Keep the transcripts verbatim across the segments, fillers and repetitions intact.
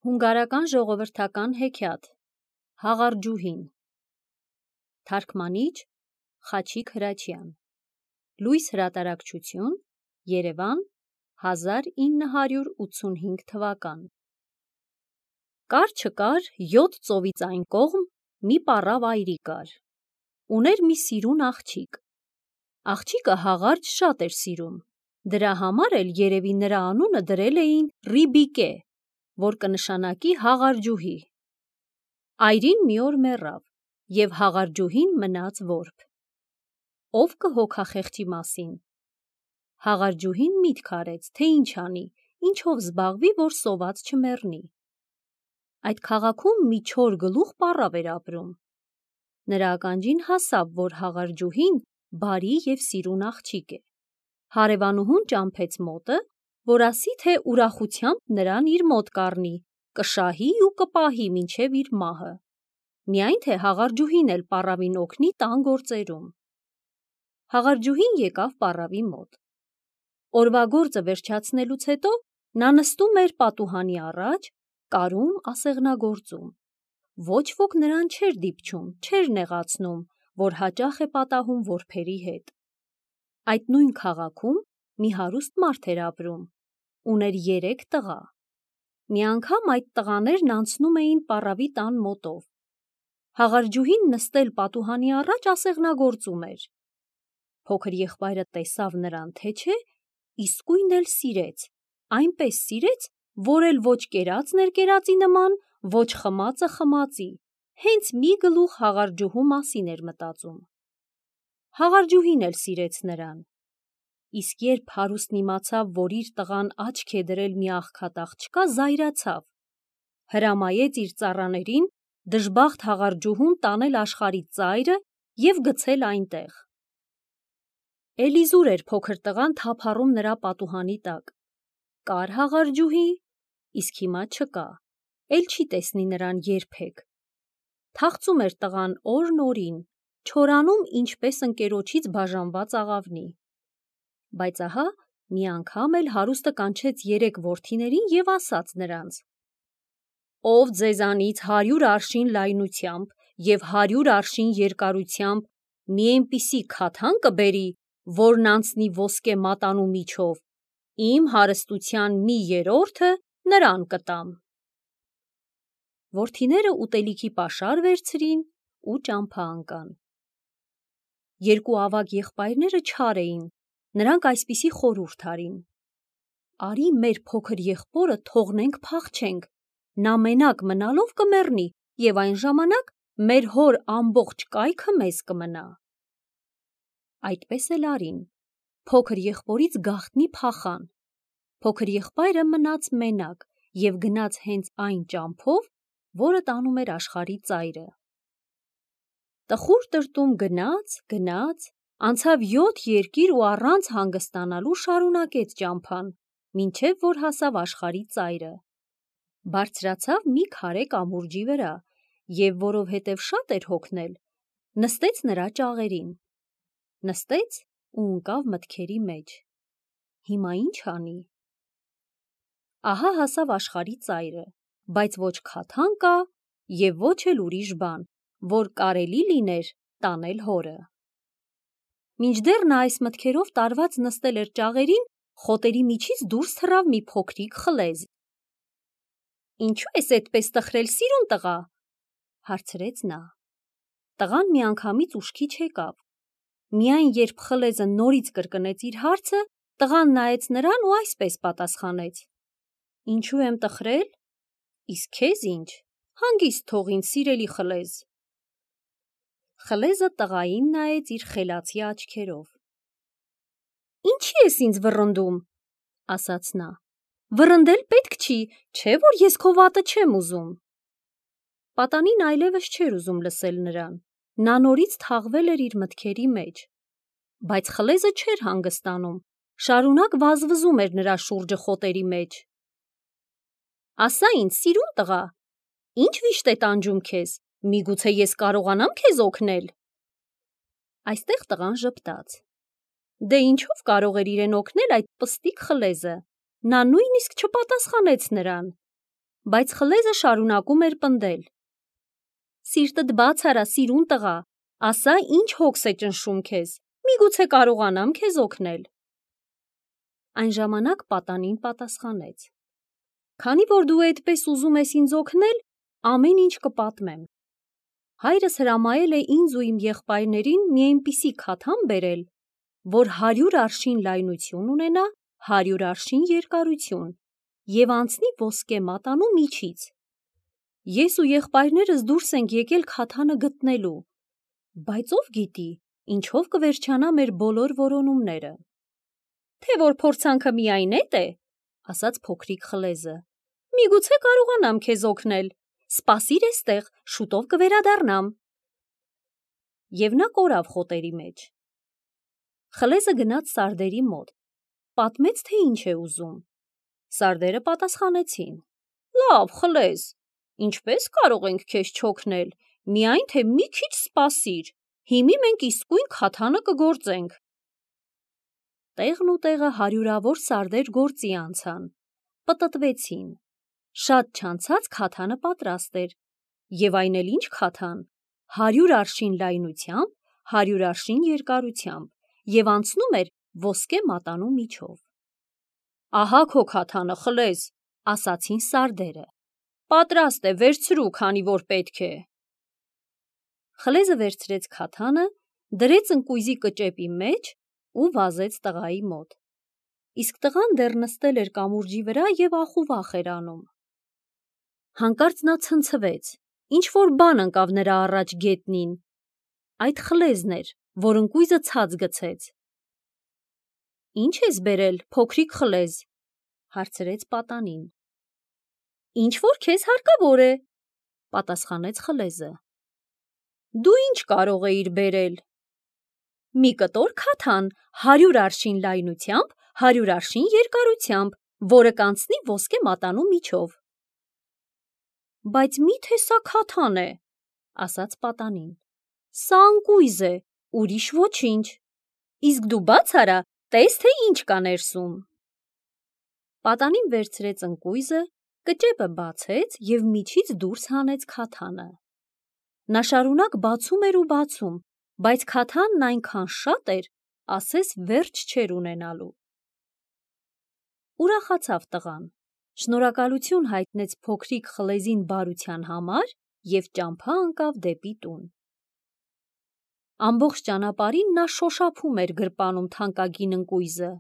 Հունգարական ժողովրդական հեքիաթ Հաղարջուհին Թարգմանիչ Խաչիկ Հրաչյան Լույս հրատարակչություն Երևան հազար ինը հարյուր ութսունհինգ թվական Կար չկար յոթ ծովից այն կողմ մի պառավ այրի կար ուներ մի սիրուն աղջիկ աղջիկը հաղարջ շատ էր սիրում դրա համար էլ երևի նրա անունը դրել էին Ռիբիկե որ կնշանակի հաղարջուհի այրին մի օր մեռավ և հաղարջուհին մնաց որբ ով կհոգա խեղճի մասին հաղարջուհին միտք արեց թե ինչ անի ինչով զբաղվի որ սոված չմեռնի այդ քաղաքում մի չոր գլուխ պառավ էր ապրում նրա ականջին հասավ որ հաղարջուհին բարի և սիրուն աղջիկ է հարևանուհուն ճամփեց մոտը որ ասի թե ուրախությամբ նրան իր մոտ կառնի կշահի ու կպահի մինչև իր մահը միայն թե հաղարջուհին էլ պառավին օգնի տան գործերում հաղարջուհին եկավ պառավի մոտ օրվա գործը վերջացնելուց հետո նա նստում էր պատուհանի առաջ կարում ասեղնագործում ոչ ոք նրան չէր դիպչում չէր նեղացնում որ հաճախ է պատահում որբերի հետ այդ նույն քաղաքում մի հարուստ մարդ էր ապրում ուներ երեք տղա մի անգամ այդ տղաներն անցնում էին պառավի տան մոտով հաղարջուհին նստել պատուհանի առաջ ասեղնագործում էր փոքր եղբայրը տեսավ նրան թե չէ իսկույն էլ սիրեց այնպես սիրեց որ էլ ոչ կերածն էր կերածի նման ոչ խմածը խմածի հենց մի գլուխ հաղարջուհու մասին էր մտածում հաղարջուհին էլ սիրեց նրան իսկ երբ հարուստն իմացավ որ իր տղան աչք է դրել մի աղքատ աղջկա զայրացավ հրամայեց իր ծառաներին դժբախտ հաղարջուհուն տանել աշխարհի ծայրը և գցել այնտեղ էլիզուր էր փոքր տղան թափառում նրա պատուհանի տակ կար հաղարջուհի իսկ հիմա չկա էլ չի տեսնի նրան երբեք թախծում էր տղան օրն օրին չորանում ինչպես ընկերոջից բաժանված աղավնի բայց ահա մի անգամ էլ հարուստը կանչեց երեք որդիներին և ասաց նրանց ով ձեզանից հարյուր արշին լայնությամբ և հարյուր արշին երկարությամբ մի այնպիսի քաթան կբերի որն անցնի ոսկե մատանու միջով իմ հարստության մի երրորդը նրան կտամ որդիները ուտելիքի պաշար վերցրին ու ճամփա ընկան երկու ավագ եղբայրները չար էին նրանք այսպիսի խորհուրդ արին արի մեր փոքր եղբորը թողնենք փախչենք նա մենակ մնալով կմեռնի և այն ժամանակ մեր հոր ամբողջ կայքը մեզ կմնա այդպես էլ արին փոքր եղբորից գաղտնի փախան փոքր եղբայրը մնաց մենակ և գնաց հենց այն ճամփով որը տանում էր աշխարհի ծայրը տխուր տրտում գնաց գնաց անցավ յոթ երկիր ու առանց հանգստանալու շարունակեց ճամփան մինչև որ հասավ աշխարհի ծայրը բարձրացավ մի քարե կամուրջի վրա և որովհետև շատ էր հոգնել նստեց նրա ճաղերին նստեց ու ընկավ մտքերի մեջ հիմա ինչ անի ահա հասավ աշխարհի ծայրը բայց ոչ քաթան կա և ոչ էլ ուրիշ բան որ կարելի լիներ տանել հորը մինչդեռ նա այս մտքերով տարված նստել էր ճաղերին խոտերի միջից դուրս թռավ մի փոքրիկ խլեզ ինչո՞ւ ես էդպես տխրել սիրուն տղա հարցրեց նա տղան միանգամից ուշքի չեկավ միայն երբ խլեզը նորից կրկնեց իր հարցը տղան նայեց նրան ու այսպես պատասխանեց ինչու եմ տխրել իսկ քեզ ինչ հանգիստ թող ինձ սիրելի խլեզ խլեզը տղային նայեց իր խելացի աչքերով ինչի ես ինձ վռնդում ասաց նա վռնդել պետք չի չէ որ ես քո վատը չեմ ուզում պատանին այլևս չէր ուզում լսել նրան նա նորից թաղվել էր իր մտքերի մեջ բայց խլեզը չէր հանգստանում շարունակ վազվզում էր նրա շուրջը խոտերի մեջ ասա ինձ սիրուն տղա ինչ վիշտ է տանջում քեզ միգուցե ես կարողանամ քեզ օգնել այստեղ տղան ժպտաց դե ինչով կարող էր իրեն օգնել այդ պստիկ խլեզը նա նույնիսկ չպատասխանեց նրան բայց խլեզը շարունակում էր պնդել. Սիրտդ բաց արա, սիրուն տղա, ասա ինչ հոգս է ճնշում քեզ, միգուցե կարողանամ քեզ օգնել։ Այն ժամանակ պատանին պատասխանեց. Քանի որ դու այդպես ուզում ես ինձ օգնել, ամեն ինչ կպատմեմ։ Հայրս հրամայել է ինձ ու իմ եղբայրներին մի այնպիսի քաթան բերել, որ հարյուր արշին լայնություն ունենա, հարյուր արշին երկարություն և անցնի ոսկե մատանու միջից։ Ես ու եղբայրներս դուրս ենք եկել քաթանը գտնելու, բայց ով գիտի, ինչով կվերջանա մեր բոլոր որոնումները։ Թե որ փորձանքը միայն էդ է, ասաց փոքրիկ խլեզը, միգուցե կարողանամ քեզ օգնել, սպասիր էստեղ, շուտով կվերադառնամ։ Եվ նա կորավ խոտերի մեջ։ Խլեզը գնաց սարդերի մոտ, պատմեց, թե ինչ է ուզում։ Սարդերը պատասխանեցին. Լավ, խլեզ, ինչպես կարող ենք քեզ չօգնել, միայն թե մի քիչ սպասիր, հիմի մենք իսկույն քաթանը կգործենք։ Տեղն ու տեղը հարյուրավոր սարդեր գործի անցան, պտտվեցին, շատ չանցած քաթանը պատրաստ էր, և այն էլ ինչ քաթան, հարյուր արշին լայնությամբ, հարյուր արշին երկարությամբ, և անցնում էր ոսկե մատանու միջով։ Ահա քո քաթանը, խլեզ, ասացին սարդերը, պատրաստ է, վերցրու, քանի որ պետք է։ Խլեզը վերցրեց քաթանը, դրեց ընկույզի կճեպի մեջ ու վազեց տղայի մոտ։ Իսկ տղան դեռ նստել էր կամուրջի վրա և ախուվախ էր անում։ Հանկարծ նա ցնցվեց, ինչ-որ բան ընկավ նրա առաջ գետնին։ Այդ խլեզն էր, որ ընկույզը ցած գցեց։ Ինչ ես բերել, փոքրիկ խլեզ, հարցրեց պատանին։ Ինչ-որ քեզ հարկավոր է, պատասխանեց խլեզը։ Դու ինչ կարող էիր բերել։ Մի կտոր քաթան, հարյուր արշին լայնությամբ, հարյուր արշին երկարությամբ, որը կանցնի ոսկե մատանու միջով։ Բայց մի՞թե սա քաթան է, ասաց պատանին։ Սա ընկույզ է, ուրիշ ոչինչ։ Իսկ դու բաց արա, տես, թե ինչ կա ներսում։ Պատանին վերցրեց ընկույզը, կճեպը բացեց և միջից դուրս հանեց քաթանը։ Նա շարունակ բացում էր ու բացում, բայց քաթանն այնքան շատ էր, ասես վերջ չէր ունենալու։ Ուրախացավ տղան, շնորհակալություն հայտնեց փոքրիկ խլեզին բարության համար և ճամփա ընկավ դեպի տուն։ Ամբողջ ճանապարհին նա շոշափում էր գրպանում թանկագին ընկույզը։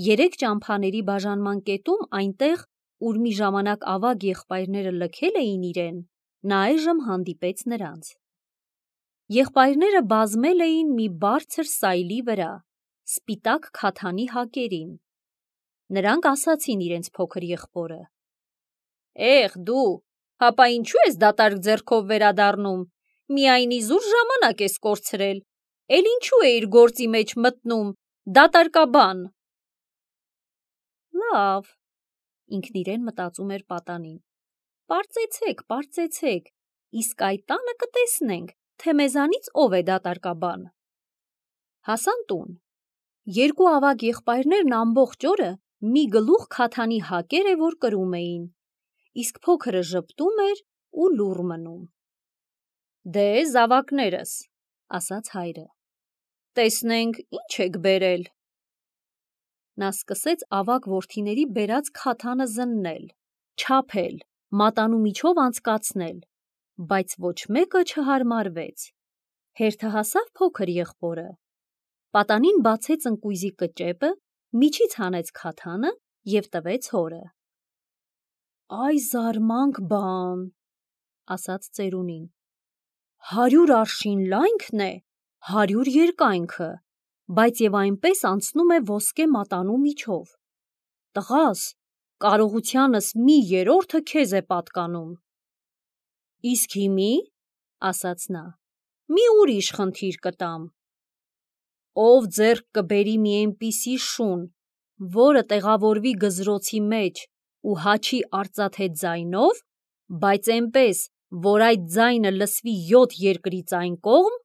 Երեք ճամփաների բաժանման կետում, այնտեղ, ուր մի ժամանակ ավագ եղբայրները լքել էին իրեն, նա այժմ հանդիպեց նրանց։ Եղբայրները բազմել էին մի բարձր սայլի վրա, սպիտակ քաթանի հակերին։ Նրանք ասացին իրենց փոքր եղբորը. Էհ, դու, հապա ինչու ես դատարկ ձեռքով վերադառնում, միայն իզուր ժամանակ ես կորցրել, էլ ինչու էիր գործի մեջ մտնում, դատարկաբան։ Լավ, ինքն իրեն մտածում էր պատանին, պարծեցեք, պարծեցեք, իսկ այդ տանը կտեսնենք, թե մեզանից ով է դատարկաբան։ Հասան տուն։ Երկու ավագ եղբայրներն ամբողջ օրը մի գլուխ քաթանի հակեր է, որ կրում էին, իսկ փոքրը ժպտում էր ու լուռ մնում։ Դե, զավակներս, ասաց հայրը, տեսնենք ինչ եք բերել։ Նա սկսեց ավագ որդիների բերած քաթանը զննել, չափել, մատանու միջով անցկացնել, բայց ոչ մեկը չհարմարվեց։ Հերթը հասավ փոքր եղբորը։ Պատանին բացեց ընկույզի կճեպը, միջից հանեց քաթանը և տվեց հորը։ Այ զարմանք բան, ասաց ծերունին, հարյուր արշին լայնքն է, հարյուր երկայնքը, բայց և այնպես անցնում է ոսկե մատանու միջով։ Տղաս, կարողությանս մի երրորդը քեզ է պատկանում։ Իսկ հիմի, ասաց նա, մի ուրիշ խնդիր կտամ։ Ով ձեռք կբերի մի այնպիսի շուն, որը տեղավորվի գզրոցի մեջ ու հաչի արծաթե ձայնով, բայց այնպես, որ այդ ձայնը լսվի յոթ երկրից այն կողմ,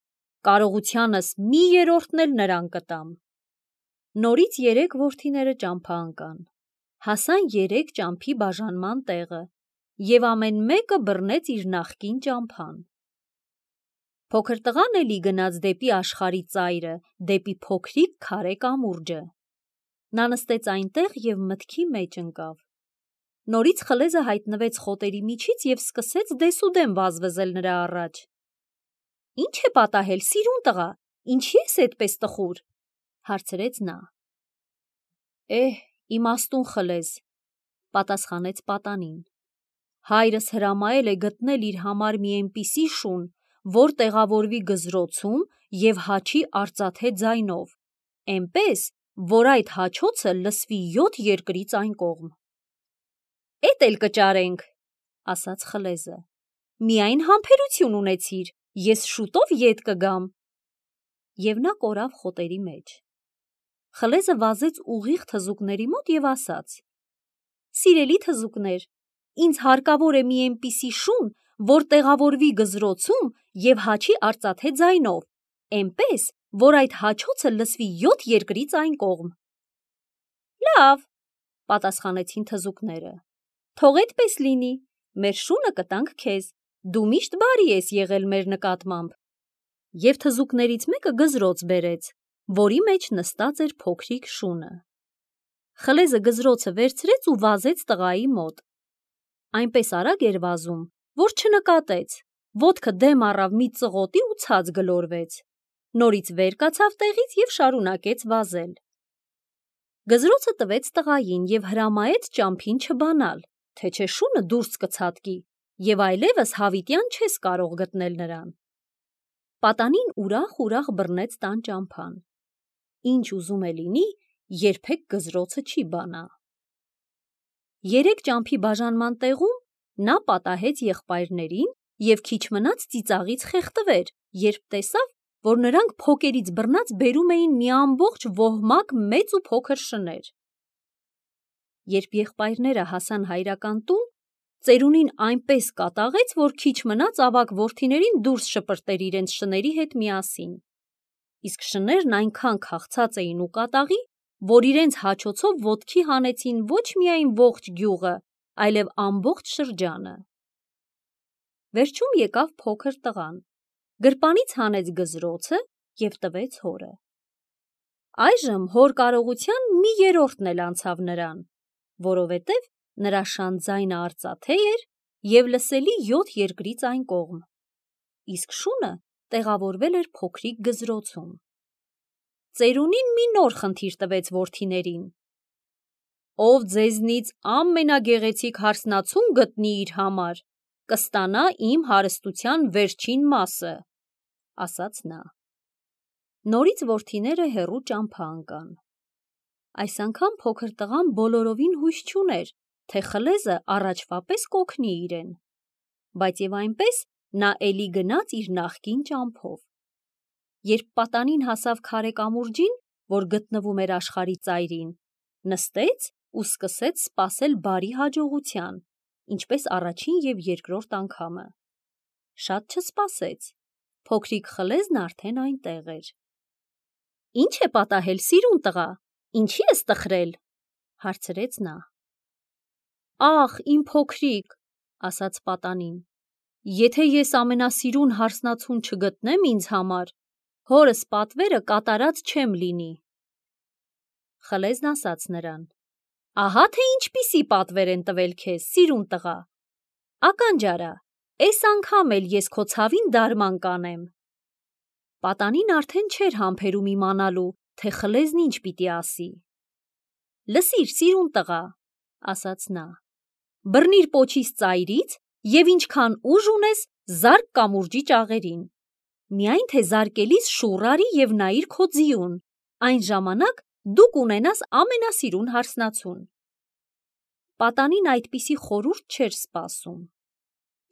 կարողությանս մի երրորդն էլ նրան կտամ։ Նորից երեք որդիները ճամփա ընկան, հասան երեք ճամփի բաժանման տեղը և ամեն մեկը բռնեց իր նախկին ճամփան։ Փոքր տղան էլի գնաց դեպի աշխարհի ծայրը, դեպի փոքրիկ քարե կամուրջը։ Նա նստեց այնտեղ և մտքի մեջ ընկավ։ Նորից խլեզը հայտնվեց խոտերի միջից և սկսեց դեսուդեն վազվզել նրա առաջ։ «Ի՞նչ է պատահել, սիրուն տղա, ինչի ես էդպես տխուր», հարցրեց նա։ «Էհ, իմաստուն խլեզ», պատասխանեց պատանին։ «Հայրս հրամայել է գտնել իր համար մի էնպիսի շուն, որ տեղավորվի գզրոցում և հաչի արծաթե ձայնով, էնպես, որ այդ հաչոցը լսվի յոթ երկրից այն կողմ»։ «Էդ էլ կճարենք», ասաց խլեզը։ «Միայն համբերություն ունեցիր, ես շուտով ետ կգամ»։ Եվ նա կորավ խոտերի մեջ։ Խլեզը վազեց ուղիղ թզուկների մոտ և ասաց. «Սիրելի թզուկներ, ինձ հարկավոր է մի էնպիսի շուն, որ տեղավորվի գզրոցում և հաչի արծաթե ձայնով, էնպես, որ այդ հաչոցը լսվի յոթ երկրից այն կողմ»։ «Լավ», պատասխանեցին թզուկները, «թող էդպես լինի, մեր շունը կտանք քեզ, դու միշտ բարի ես եղել մեր նկատմամբ»։ Եվ թզուկներից մեկը գզրոց բերեց, որի մեջ նստած էր փոքրիկ շունը։ Խլեզը գզրոցը վերցրեց ու վազեց տղայի մոտ։ Այնպես արագ էր վազում, որ չնկատեց, ոտքը դեմ առավ մի ծղոտի ու ցած գլորվեց։ Նորից վեր կացավ տեղից և շարունակեց վազել։ Գզրոցը տվեց տղային և հրամայեց ճամփին չբանալ, թե չէ շունը դուրս կցատկի, և այլևս հավիտյան չես կարող գտնել նրան։ Պատանին ուրախ-ուրախ բռնեց տան ճամփան։ Ինչ ուզում է լինի, երբեք գզրոցը չի բանա։ Երեք ճամփի բաժանման տեղում նա պատահեց եղբայրներին և քիչ մնաց ծիծաղից խեղդվեր, երբ տեսավ, որ նրանք փոկերից բռնած բերում էին մի ամբողջ ոհմակ մեծ ու փոքր շներ։ Երբ եղբայրները հասան հայրական տուն, ծերունին այնպես կատաղեց, որ քիչ մնաց ավագ որդիներին դուրս շպրտեր իրենց շների հետ միասին։ Իսկ շներն այնքան քաղցած էին ու կատաղի, որ իրենց հաչոցով ոտքի հանեցին ոչ միայն ողջ գյուղը, այլև ամբողջ շրջանը։ Վերջում եկավ փոքր տղան, գրպանից հանեց գզրոցը և տվեց հորը։ Այժմ հոր կարողության մի երրորդն էլ անցավ նրան, որովհետև նրա շան ձայնը արծաթե էր և լսելի յոթ երկրից այն կողմ, իսկ շունը տեղավորվել էր փոքրիկ գզրոցում։ Ծերունին մի նոր խնդիր տվեց որդիներին. «Ով ձեզնից ամենագեղեցիկ հարսնացուն գտնի իր համար, կստանա իմ հարստության վերջին մասը», ասաց նա։ Նորից որդիները հեռու ճամփա ընկան։ Այս անգամ փոքր տղան բոլորովին հույս չուներ, թե խլեզը առաջվա պես կօգնի իրեն, բայց և այնպես նա էլի գնաց իր նախկին ճամփով։ Երբ պատանին հասավ քարե կամուրջին, որ գտնվում էր աշխարհի ծայրին, նստեց ու սկսեց սպասել բարի հաջողության, ինչպես առաջին և երկրորդ անգամը։ Շատ չսպասեց, փոքրիկ խլեզն արդեն այնտեղ էր։ «Ի՞նչ է պատահել, սիրուն տղա, ինչի ես տխրել», հարցրեց նա։ «Ախ, իմ փոքրիկ», ասաց պատանին, «եթե ես ամենասիրուն հարսնացուն չգտնեմ ինձ համար, հորս պատվերը կատարած չեմ լինի»։ Խլեզն ասաց նրան. «Ահա թե ինչպիսի պատվեր են տվել քեզ, սիրուն տղա, ականջ արա, էս անգամ էլ ես քո ցավին դարման կանեմ»։ Պատանին արդեն չէր համբերում իմանալու, թե խլեզն ինչ պիտի ասի։ «Լսիր, սիրուն տղա», ասաց նա, «բռնիր պոչիս ծայրից և ինչքան ուժ ունես, զարկ կամուրջի ճաղերին։ Միայն թե զարկելիս շուռ արի և նայիր քո ձիուն, այն ժամանակ դու կունենաս ամենասիրուն հարսնացուն»։ Պատանին այդպիսի խորհուրդ չէր սպասում։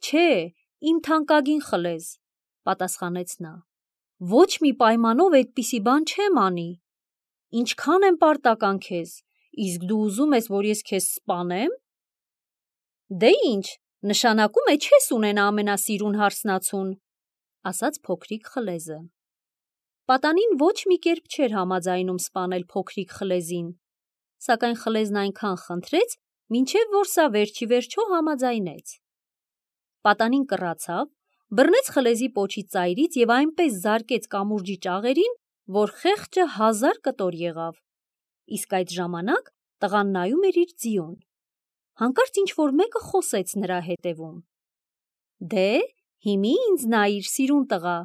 «Չէ, իմ թանկագին խլեզ», պատասխանեց նա, «ոչ մի պայմանով այդպիսի բան չեմ անի։ Ինչքան եմ պարտական քեզ, իսկ դու ուզում ես, որ ես քեզ սպանե՞մ»։ «Դե ինչ, նշանակում է չես ունենա ամենասիրուն հարսնացուն», ասաց փոքրիկ խլեզը։ Պատանին ոչ մի կերպ չէր համաձայնում սպանել փոքրիկ խլեզին, սակայն խլեզն այնքան խնդրեց, մինչև որ սա վերջիվերջո համաձայնեց։ Պատանին կռացավ, բռնեց խլեզի պոչի ծայրից և այնպես զարկեց կամուրջի ճաղերին, որ խեղճը հազար կտոր եղավ, իսկ այդ ժամանակ տղան նայում էր իր ձիուն։ Հանկարծ ինչ-որ մեկը խոսեց նրա հետևում. «Դե, հիմի ինձ նայիր, սիրուն տղա»։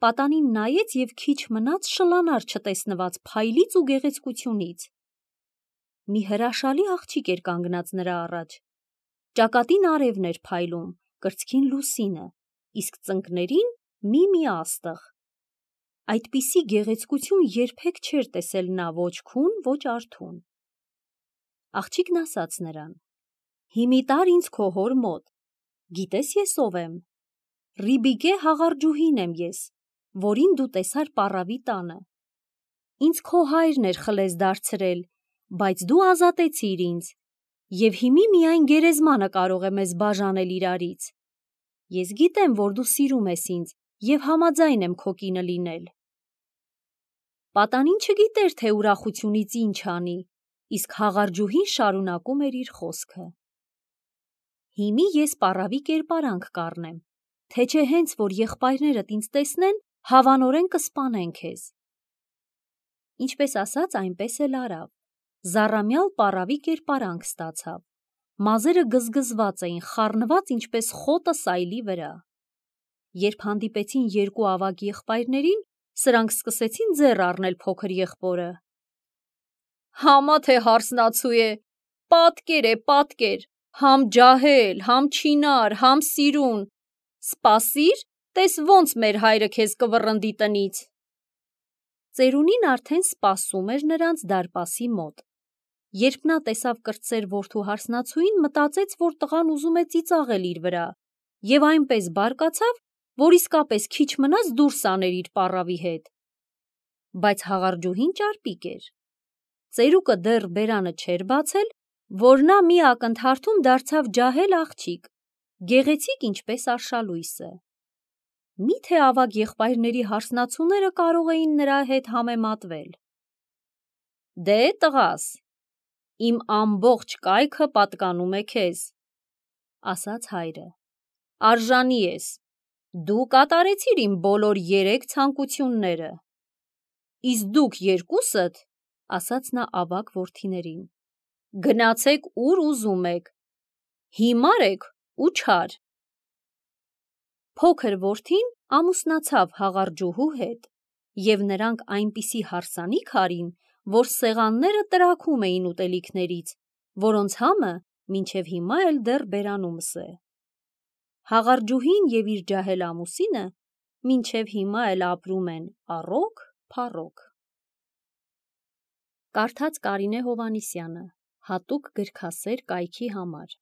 Պատանին նայեց և քիչ մնաց շլանար չտեսնված փայլից ու գեղեցկությունից։ Մի հրաշալի աղջիկ էր կանգնած նրա առաջ։ Ճակատին արևն էր փայլում, կրծքին լուսինը, իսկ ծնկներին մի-մի աստղ։ Այդպիսի գեղեցկություն երբեք չէր տեսել նա ոչ քուն, ոչ արթուն։ Աղջիկն ասաց նրան. «Հիմի տար ինձ քո հոր մոտ, գիտես ես ով եմ։ Ռիբիկե հաղարջուհին եմ ես, որին դու տեսար պառավի տանը։ Ինձ քո հայրն էր խլեզ դարձրել, բայց դու ազատեցիր ինձ, և հիմի միայն գերեզմանը կարող է մեզ բաժանել իրարից։ Ես գիտեմ, որ դու սիրում ես ինձ և համաձայն եմ քո կինը լինել»։ Պատանին չգիտեր, թե ուրախությունից ինչ անի, իսկ հաղարջուհին շարունակում էր իր խոսքը. «Հիմի ես պառավի կերպարանք կառնեմ, թե չէ հենց որ եղբայրներդ ինձ տեսնեն, հավանորեն կսպանեն քեզ»։ Ինչպես ասաց, այնպես էլ արավ։ Զառամյալ պառավի կերպարանք ստացավ։ Մազերը գզգզված էին, խառնված ինչպես խոտը սայլի վրա։ Երբ հանդիպեցին երկու ավագ եղբայրներին, սրանք սկսեցին ձեռ առնել փոքր եղբորը։ «Համա թե հարսնացու է, պատկեր է, պատկեր, համ ջահել, համ չինար, համ սիրուն, սպասիր, տես ոնց մեր հայրը քեզ կվռնդի տնից»։ Ծերունին արդեն սպասում էր նրանց դարպասի մոտ։ Երբ նա տեսավ կրտսեր որդու հարսնացուին, մտածեց, որ տղան ուզում է ծիծաղել իր վրա, և այնպես բարկացավ, որ իսկապես քիչ մնաց դուրս աներ իր պառավի հետ։ Բայց հաղարջուհին ճարպիկ էր։ Ծերուկը դեռ բերանը չէր բացել, որ նա մի ակնթարթում դարձավ ջահել աղջիկ, գեղեցիկ ինչպես արշալույսը։ Մի՞թե ավագ եղբայրների հարսնացուները կարող էին նրա հետ համեմատվել։ «Դե, տղաս, իմ ամբողջ կայքը պատկանում է քեզ», ասաց հայրը։ «Արժանի ես, դու կատարեցիր իմ բոլոր երեք ցանկությունները։ Իսկ դուք երկուսդ, ասաց նա ավագ որդիներին, գնացեք ուր ուզում եք, հիմար եք ու չար»։ Փոքր որդին ամուսնացավ հաղարջուհու հետ, և նրանք այնպիսի հարսանիք արին, որ սեղանները տրաքում էին ուտելիքներից, որոնց համը մինչև հիմա էլ դեռ բերանումս է։ Հաղարջուհին և իր ջահել ամուսինը մինչև հիմա էլ ապրում են առօգ-փառոգ։ Կարդաց Կարինե Հովհաննիսյանը, հատուկ գրքասեր կայքի համար։